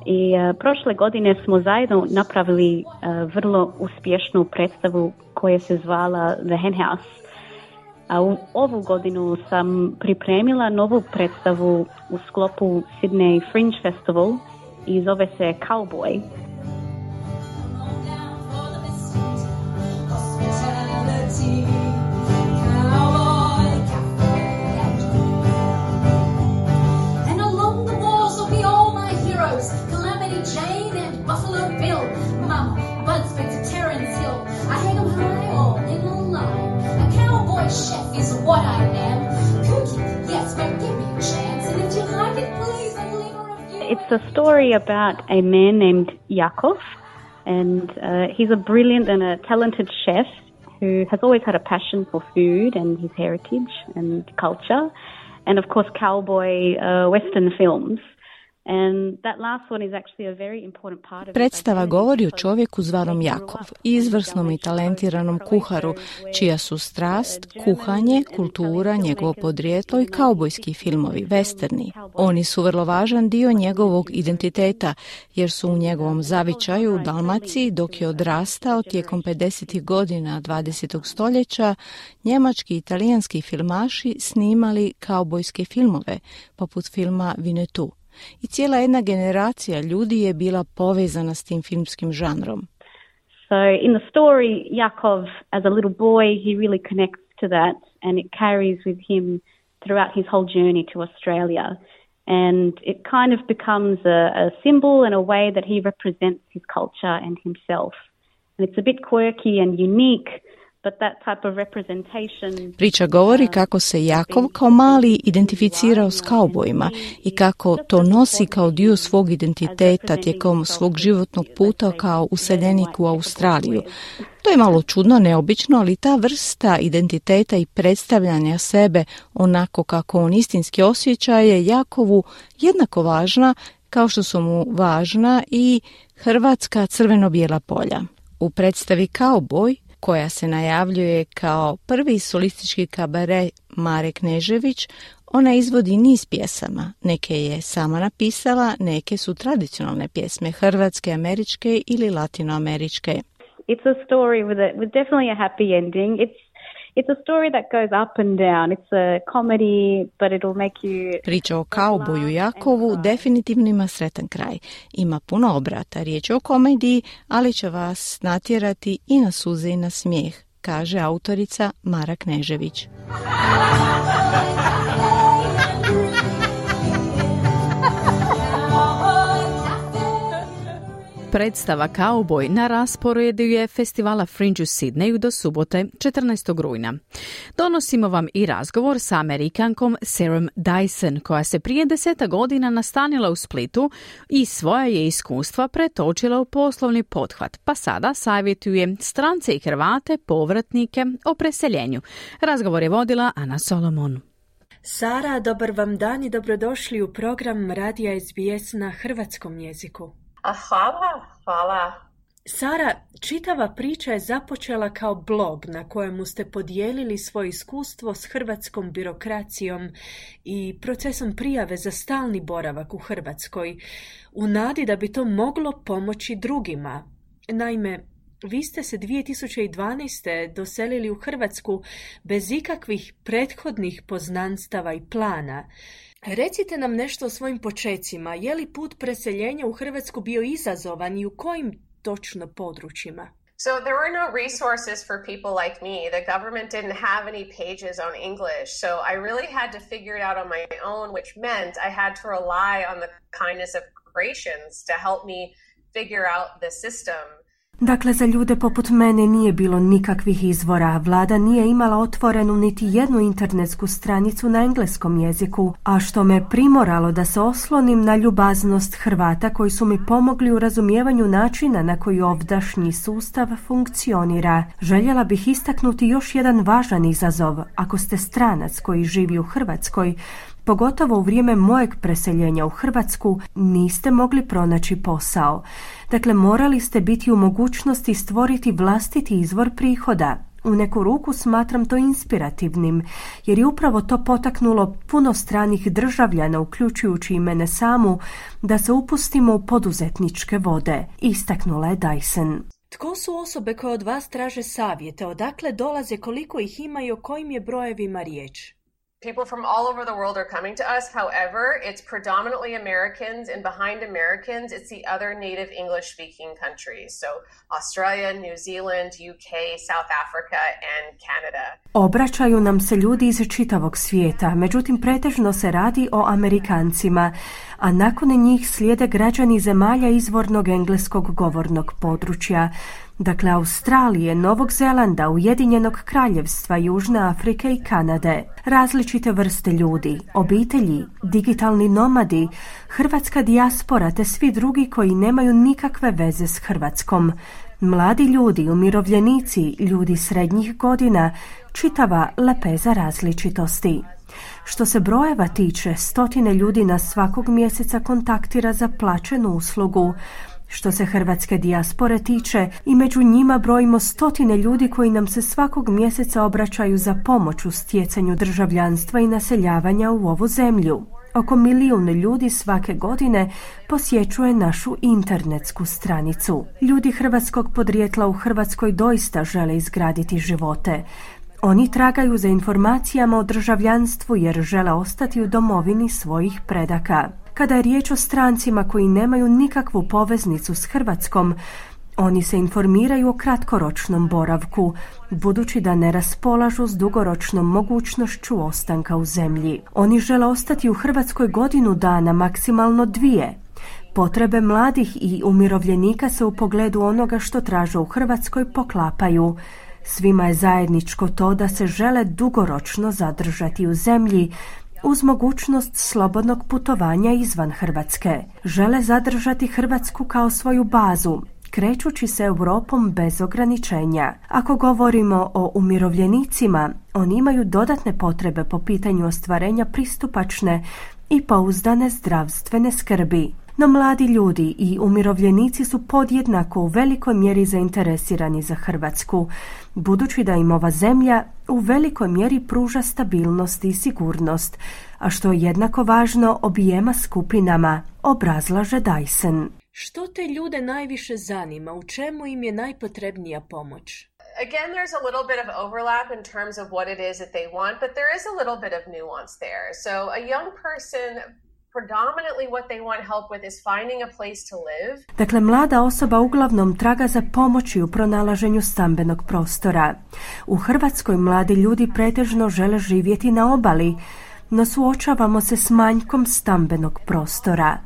I prošle godine smo zajedno napravili vrlo uspješnu predstavu koja se zvala The Hen House. A u ovu godinu sam pripremila novu predstavu u sklopu Sydney Fringe Festival i zove se Cowboy. It's a story about a man named Yakov, and he's a brilliant and a talented chef who has always had a passion for food and his heritage and culture, and of course cowboy Western films. And that last one is actually a very important part of Predstava govori o čovjeku zvanom Jakov, izvrsnom i talentiranom kuharu, čija su strast, kuhanje, kultura, njegovo podrijetlo i kaubojski filmovi, westerni. Oni su vrlo važan dio njegovog identiteta, jer su u njegovom zavičaju u Dalmaciji, dok je odrastao tijekom 50. godina 20. stoljeća, njemački i italijanski filmaši snimali kaubojske filmove, poput filma Winnetou. I cijela jedna generacija ljudi je bila povezana s tim filmskim žanrom. So in the story, Yakov, as a little boy, he really connects to that and it carries with him throughout his whole journey to Australia. And it kind of becomes a symbol and a way that he represents his culture and himself. And it's a bit quirky and unique. Priča govori kako se Jakov kao mali identificirao s kaubojima i kako to nosi kao dio svog identiteta tijekom svog životnog puta kao useljenik u Australiju. To je malo čudno, neobično, ali ta vrsta identiteta i predstavljanja sebe onako kako on istinski osjeća je Jakovu jednako važna kao što su mu važna i hrvatska crveno-bijela polja. U predstavi Cowboy, koja se najavljuje kao prvi solistički kabare Mare Knežević, ona izvodi niz pjesama. Neke je sama napisala, neke su tradicionalne pjesme, hrvatske, američke ili latinoameričke. It's a story with definitely a happy ending. It's a story that goes up and down. It's a comedy, but it'll make you... Priča o kauboju Jakovu definitivno ima sretan kraj. Ima puno obrata. Riječ je o komediji, ali će vas natjerati i na suze i na smijeh, kaže autorica Mara Knežević. Predstava Cowboy na rasporedu je festivala Fringe u Sidneju do subote 14. rujna. Donosimo vam i razgovor sa Amerikankom Sarahom Dyson, koja se prije 10 godina nastanila u Splitu i svoja je iskustva pretočila u poslovni pothvat, pa sada savjetuje strance i Hrvate, povratnike o preseljenju. Razgovor je vodila Ana Solomon. Sara, dobar vam dan i dobrodošli u program Radija SBS na hrvatskom jeziku. Hvala. Sara, čitava priča je započela kao blog na kojemu ste podijelili svoje iskustvo s hrvatskom birokracijom i procesom prijave za stalni boravak u Hrvatskoj, u nadi da bi to moglo pomoći drugima. Naime, vi ste se 2012. doselili u Hrvatsku bez ikakvih prethodnih poznanstava i plana. Recite nam nešto o svojim počecima. Je li put preseljenja u Hrvatsku bio izazovan i u kojim točno područjima? So there were no resources for people like me. The government didn't have any pages on English. So I really had to figure it out on my own, which meant I had to rely on the kindness of corporations to help me figure out the system. Dakle, za ljude poput mene nije bilo nikakvih izvora. Vlada nije imala otvorenu niti jednu internetsku stranicu na engleskom jeziku, a što me primoralo da se oslonim na ljubaznost Hrvata koji su mi pomogli u razumijevanju načina na koji ovdašnji sustav funkcionira. Željela bih istaknuti još jedan važan izazov. Ako ste stranac koji živi u Hrvatskoj, Pogotovo u vrijeme mojeg preseljenja u Hrvatsku niste mogli pronaći posao. Dakle, morali ste biti u mogućnosti stvoriti vlastiti izvor prihoda. U neku ruku smatram to inspirativnim, jer je upravo to potaknulo puno stranih državljana, uključujući i mene samu, da se upustimo u poduzetničke vode, istaknula je Dyson. Tko su osobe koje od vas traže savjete, odakle dolaze, koliko ih ima i o kojim je brojevima riječ? People from all over the world are coming to us. However, it's predominantly Americans, and behind Americans, it's the other native English-speaking countries. So Australia, New Zealand, UK, South Africa, and Canada. Obraćaju nam se ljudi iz čitavog svijeta, međutim pretežno se radi o Amerikancima, a nakon njih slijede građani zemalja izvornog engleskog govornog područja. Dakle, Australije, Novog Zelanda, Ujedinjenog Kraljevstva, Južne Afrike i Kanade. Različite vrste ljudi, obitelji, digitalni nomadi, hrvatska dijaspora te svi drugi koji nemaju nikakve veze s Hrvatskom. Mladi ljudi, umirovljenici, ljudi srednjih godina, čitava lepeza različitosti. Što se brojeva tiče, 100 ljudi nas svakog mjeseca kontaktira za plaćenu uslugu. Što se hrvatske dijaspore tiče, i među njima brojimo 100 ljudi koji nam se svakog mjeseca obraćaju za pomoć u stjecanju državljanstva i naseljavanja u ovu zemlju. Oko 1 milijun ljudi svake godine posjećuje našu internetsku stranicu. Ljudi hrvatskog podrijetla u Hrvatskoj doista žele izgraditi živote. Oni tragaju za informacijama o državljanstvu jer žele ostati u domovini svojih predaka. Kada je riječ o strancima koji nemaju nikakvu poveznicu s Hrvatskom, oni se informiraju o kratkoročnom boravku, budući da ne raspolažu s dugoročnom mogućnošću ostanka u zemlji. Oni žele ostati u Hrvatskoj 1 godinu dana, maksimalno 2. Potrebe mladih i umirovljenika se u pogledu onoga što traže u Hrvatskoj poklapaju. Svima je zajedničko to da se žele dugoročno zadržati u zemlji, uz mogućnost slobodnog putovanja izvan Hrvatske. Žele zadržati Hrvatsku kao svoju bazu, krećući se Europom bez ograničenja. Ako govorimo o umirovljenicima, oni imaju dodatne potrebe po pitanju ostvarenja pristupačne i pouzdane zdravstvene skrbi. No mladi ljudi i umirovljenici su podjednako u velikoj mjeri zainteresirani za Hrvatsku, budući da im ova zemlja u velikoj mjeri pruža stabilnost i sigurnost, a što je jednako važno objema skupinama, obrazlaže Dyson. Što te ljude najviše zanima? U čemu im je najpotrebnija pomoć? Again, there's a little bit of overlap in terms of what it is that they want, but there is a little bit of nuance there. So a young person, predominantly what they want help with is finding a place to live. Dakle, mlada osoba uglavnom traga za pomoći u pronalaženju stambenog prostora. U Hrvatskoj mladi ljudi pretežno žele živjeti na obali, no suočavamo se s manjkom stambenog prostora.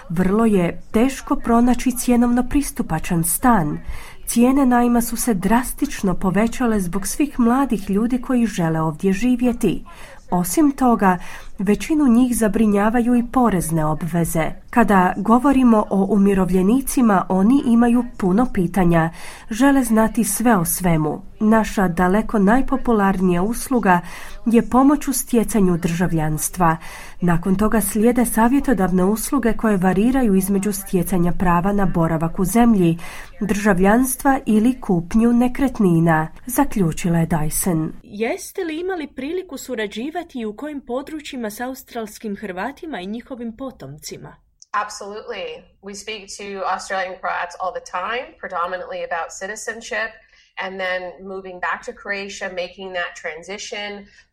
Vrlo je teško pronaći cjenovno pristupačan stan. Cijene najma su se drastično povećale zbog svih mladih ljudi koji žele ovdje živjeti. Osim toga, većinu njih zabrinjavaju i porezne obveze. Kada govorimo o umirovljenicima, oni imaju puno pitanja, žele znati sve o svemu. Naša daleko najpopularnija usluga je pomoć u stjecanju državljanstva. Nakon toga slijede savjetodavne usluge koje variraju između stjecanja prava na boravak u zemlji, državljanstva ili kupnju nekretnina, zaključila je Dyson. Jeste li imali priliku surađivati i u kojim područjima s australskim Hrvatima i njihovim potomcima? Absolutely. We speak to Australian Croats all the time, predominantly about citizenship, and then moving back to Croatia, making that transition,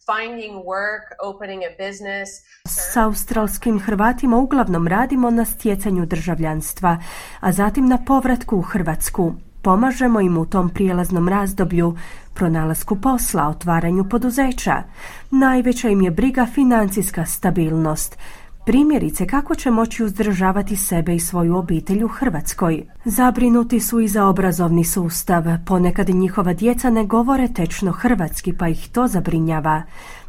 finding work, opening a business. S australskim Hrvatima uglavnom radimo na stjecanju državljanstva, a zatim na povratku u Hrvatsku. Pomažemo im u tom prijelaznom razdoblju, pronalasku posla, otvaranju poduzeća. Najveća im je briga financijska stabilnost. Primjerice, kako će moći uzdržavati sebe i svoju obitelj u Hrvatskoj. Zabrinuti su i za obrazovni sustav. Ponekad njihova djeca ne govore tečno hrvatski, pa ih to zabrinjava.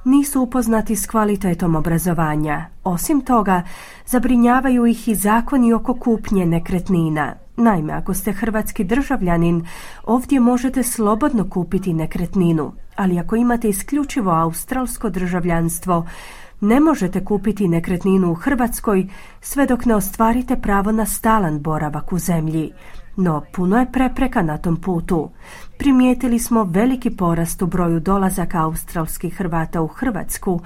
Nisu upoznati s kvalitetom obrazovanja. Osim toga, zabrinjavaju ih i zakoni oko kupnje nekretnina. Naime, ako ste hrvatski državljanin, ovdje možete slobodno kupiti nekretninu, ali ako imate isključivo australsko državljanstvo, Ne možete kupiti nekretninu u Hrvatskoj sve dok ne ostvarite pravo na stalan boravak u zemlji. No, puno je prepreka na tom putu. Primijetili smo veliki porast u broju dolazaka australskih Hrvata u Hrvatsku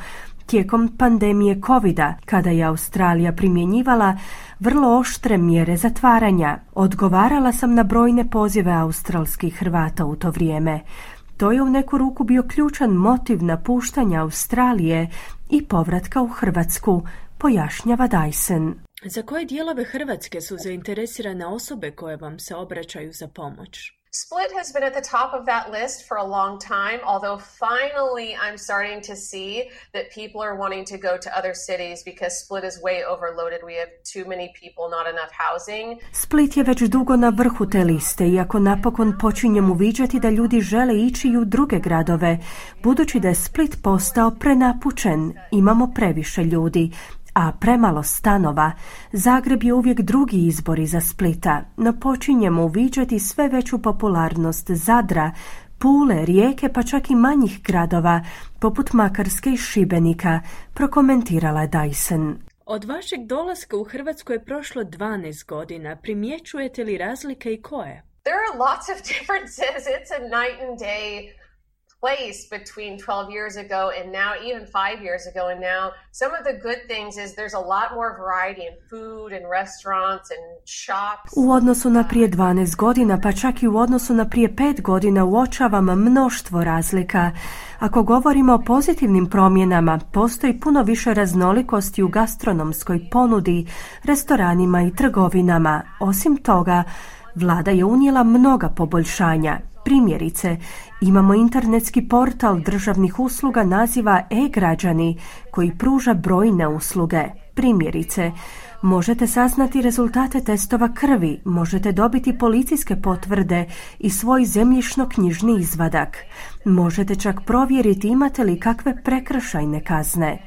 tijekom pandemije covida, kada je Australija primjenjivala vrlo oštre mjere zatvaranja. Odgovarala sam na brojne pozive australskih Hrvata u to vrijeme. To je u neku ruku bio ključan motiv napuštanja Australije i povratka u Hrvatsku, pojašnjava Dyson. Za koje dijelove Hrvatske su zainteresirane osobe koje vam se obraćaju za pomoć? Split has been at the top of that list for a long time, although finally I'm starting to see that people are wanting to go to other cities because Split is way overloaded. We have too many people, not enough housing. Split je već dugo na vrhu te liste, iako napokon počinjem uviđati da ljudi žele ići i u druge gradove, budući da je Split postao prenapučen. Imamo previše ljudi, a premalo stanova. Zagreb je uvijek drugi izbor iza Splita, no počinjemo uviđati sve veću popularnost Zadra, Pule, Rijeke, pa čak i manjih gradova, poput Makarske i Šibenika, prokomentirala je Dyson. Od vašeg dolaska u Hrvatsku je prošlo 12 godina. Primjećujete li razlike i koje? There are lots of differences. It's a night and day place between 12 years ago and now, even 5 years ago and now. Some of the good things is there's a lot more variety in food and restaurants and shops. U odnosu na prije 12 godina, pa čak i u odnosu na prije 5 godina uočavam mnoštvo razlika. Ako govorimo o pozitivnim promjenama, postoji puno više raznolikosti u gastronomskoj ponudi, restoranima i trgovinama. Osim toga, vlada je unijela mnoga poboljšanja. Primjerice, imamo internetski portal državnih usluga naziva e-građani koji pruža brojne usluge. Primjerice, možete saznati rezultate testova krvi, možete dobiti policijske potvrde i svoj zemljišno-knjižni izvadak. Možete čak provjeriti imate li kakve prekršajne kazne.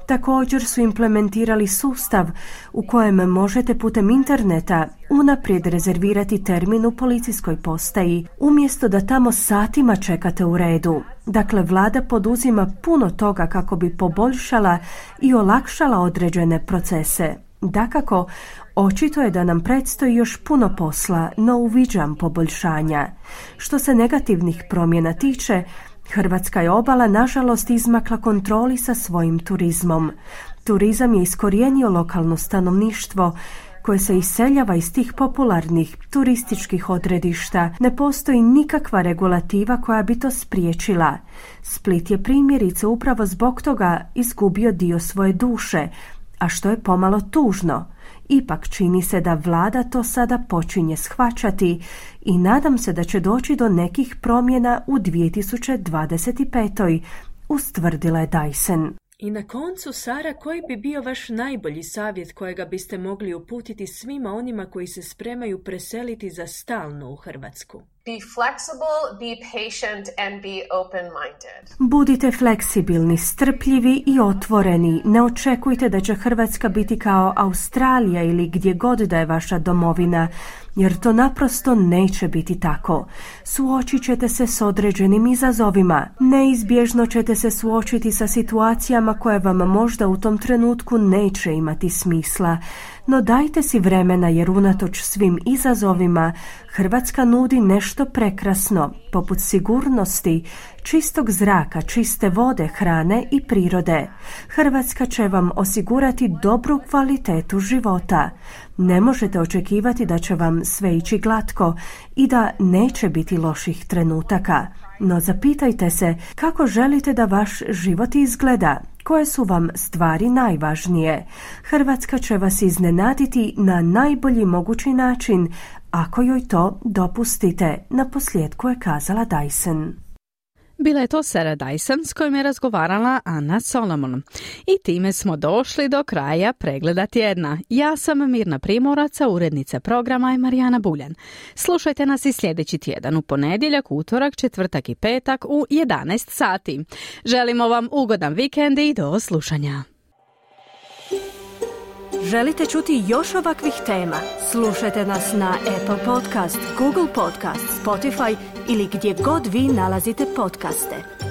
Također su implementirali sustav u kojem možete putem interneta unaprijed rezervirati termin u policijskoj postaji, umjesto da tamo satima čekate u redu. Dakle, vlada poduzima puno toga kako bi poboljšala i olakšala određene procese. Dakako, očito je da nam predstoji još puno posla, no uviđam poboljšanja. Što se negativnih promjena tiče, Hrvatska je obala nažalost izmakla kontroli sa svojim turizmom. Turizam je iskorijenio lokalno stanovništvo koje se iseljava iz tih popularnih turističkih odredišta. Ne postoji nikakva regulativa koja bi to spriječila. Split je primjerice upravo zbog toga izgubio dio svoje duše, a što je pomalo tužno. Ipak čini se da vlada to sada počinje shvaćati i nadam se da će doći do nekih promjena u 2025. ustvrdila je Dyson. I na koncu, Sara, koji bi bio vaš najbolji savjet kojega biste mogli uputiti svima onima koji se spremaju preseliti za stalno u Hrvatsku? Be flexible, be patient and be open-minded. Budite fleksibilni, strpljivi i otvoreni. Ne očekujte da će Hrvatska biti kao Australija ili gdje god da je vaša domovina, jer to naprosto neće biti tako. Suočit ćete se s određenim izazovima. Neizbježno ćete se suočiti sa situacijama koje vam možda u tom trenutku neće imati smisla. No dajte si vremena, jer unatoč svim izazovima Hrvatska nudi nešto prekrasno, poput sigurnosti, čistog zraka, čiste vode, hrane i prirode. Hrvatska će vam osigurati dobru kvalitetu života. Ne možete očekivati da će vam sve ići glatko i da neće biti loših trenutaka. No zapitajte se kako želite da vaš život izgleda. Koje su vam stvari najvažnije? Hrvatska će vas iznenaditi na najbolji mogući način, ako joj to dopustite, naposljetku je kazala Dyson. Bila je to Sara Dyson s kojom je razgovarala Ana Solomon. I time smo došli do kraja pregleda tjedna. Ja sam Mirna Primorac, urednica programa je Marijana Buljan. Slušajte nas i sljedeći tjedan u ponedjeljak, utorak, četvrtak i petak u 11 sati. Želimo vam ugodan vikend i do slušanja. Želite čuti još ovakvih tema? Slušajte nas na Apple Podcast, Google Podcast, Spotify ili gdje god vi nalazite podcaste.